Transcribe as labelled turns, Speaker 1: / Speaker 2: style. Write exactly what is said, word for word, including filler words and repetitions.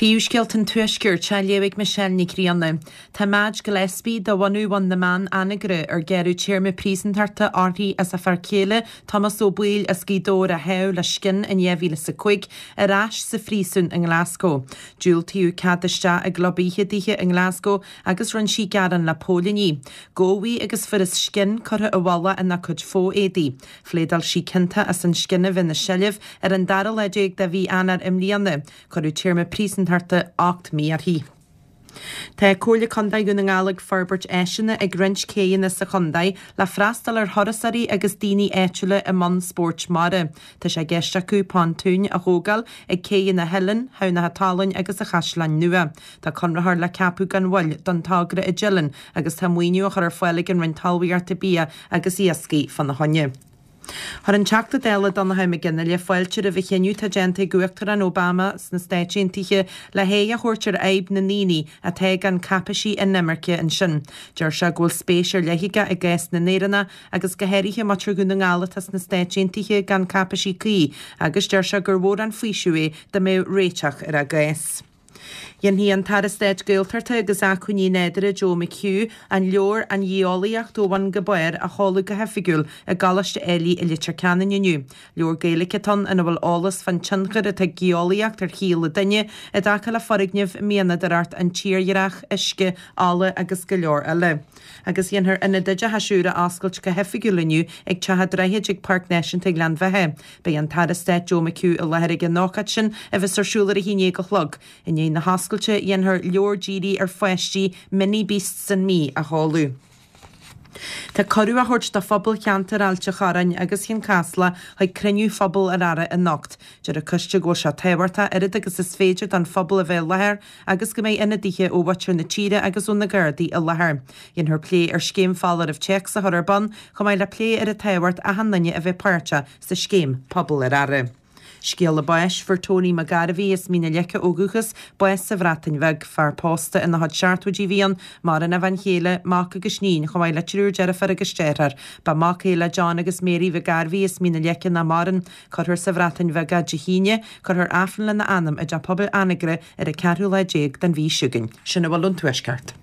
Speaker 1: Príomhscéalta an Tuaiscirt á léamh ag Michelle Nic Grianna. Tá Madge Gillespie de bhunadh Bhun na mBan, Anagaire, ar gearradh téarma príosúntachta uirthi as a fear céile Tomás Ó Baoill as Gaoth Dobhair a shádh le scian in dhá mhíle is a cúig ar ais sa phríosún i nGlasgow. Diúltaíodh cead isteach i gclub oíche dithe i nGlasgow agus rinne sí gearán le póilíní. Gabhadh í agus fuarthas scian curtha i bhfolach ina cuid fo-éadaí. Phléadáil sí ciontach as an scian a bheith ina seilbh ar an dara lá déag de mhí Eanáir i mbliana. Cuireadh téarma príosúntachta ocht mí uirthi. Tá Comhairle Contae Dhún na nGall ag forbairt áiseanna ag roinnt céanna sa chontae le freastal ar thurasóirí agus daoine áitiúla i mbun spóirt mara. Tá sé i gceist acu pontúin a thógáil ag céanna Theileann, Thamhnach Talainn agus a Chaisleáin Nua. Tá conraitheoir le ceapadh gan mhoill don togra i dTeileann agus tá maoiniú á chur ar fáil ag an Roinn Talmhaíochta Bia agus Iascaigh fána choinne. Chuir an Teachta Dála Donnchadh Mac Fhionnghaile fáilte roimh an chinneadh atá déanta ag Uachtarán Obama sna Stáit Aontaithe le haghaidh a thabhairt ar fhadhb na ndaoine atá gan cáipéisí inimirce ansin. Deir sé go bhfuil spéis ar leith aige i gcás na nÉireannach agus go háirithe muintir Dhún na nGall atá sna Stáit Aontaithe gan cáipéisí cuí agus deir sé gur mhór an faoiseamh é dá mbeadh réiteach ar a gcás. Dhéanfaidh an tAire Stáit Gaeltachta agus Acmhainní Nádúrtha Joe McHugh an leabhar An Gheolaíocht ó Bhun go Barr a sheoladh go hoifigiúil i gColáiste Ailigh i Leitir Ceanainn inniu. Leabhar Gaeilge atá ann ina bhfuil eolas fán tionchar atá ag geolaíocht ar shaol an duine i dtaca le foirgnimh, mianadóireacht, an tírdhreach, uisce, ola agus go leor eile. Agus dhéanfar ionad oideachais úr a oscailt go hoifigiúil inniu ag Teach an Droichid ag Páirc Náisiúnta Ghleann Bheatha. Beidh an tAire Stáit Joe McHugh i láthair ag an ócáid sin a bheas ar siúl ar a haon déag a chlog. I ndiaidh na hoscailte dhéanfar leabhar dírithe ar pháistí Mini Beasts and Me a sheoladh. Tá cuireadh á thabhairt do phobal cheantar Ailt an Chorráin agus Chionn Caslach chuig cruinniú Phobal ar Aire anocht. Deir an coiste go bhfuil sé tábhachtach oiread agus is féidir don phobal a bheith i láthair agus go mbeidh ionadaithe ó mhuintir na tíre agus ó na Gardaí i láthair. Dhéanfar plé ar scéim foláirimh téacs a chur ar bun, chomh maith le plé ar an tábhacht achan duine a bheith páirteach sa scéim Pobal ar Aire. Scéala báis fuair Tony McGarvey as Mín na Leice ó dhúchas bás sa Bhreatain Bheag fear pósta ina chuid seachtóidí a bhí ann maireann a bhean chéile mac agus iníon chomh maith le triúr deirfiúr agus deartháir. Ba mac é le John agus Mary McGarvey as Mín na Leice nach maireann cuirfear sa Bhreatain Bheag é Dé hAoine, cuirfear Aifreann lena anam i dTeach Pobail Anagaire ar an ceathrú lá déag den mhí seo chugainn. Sin a bhfuil ón Tuaisceart.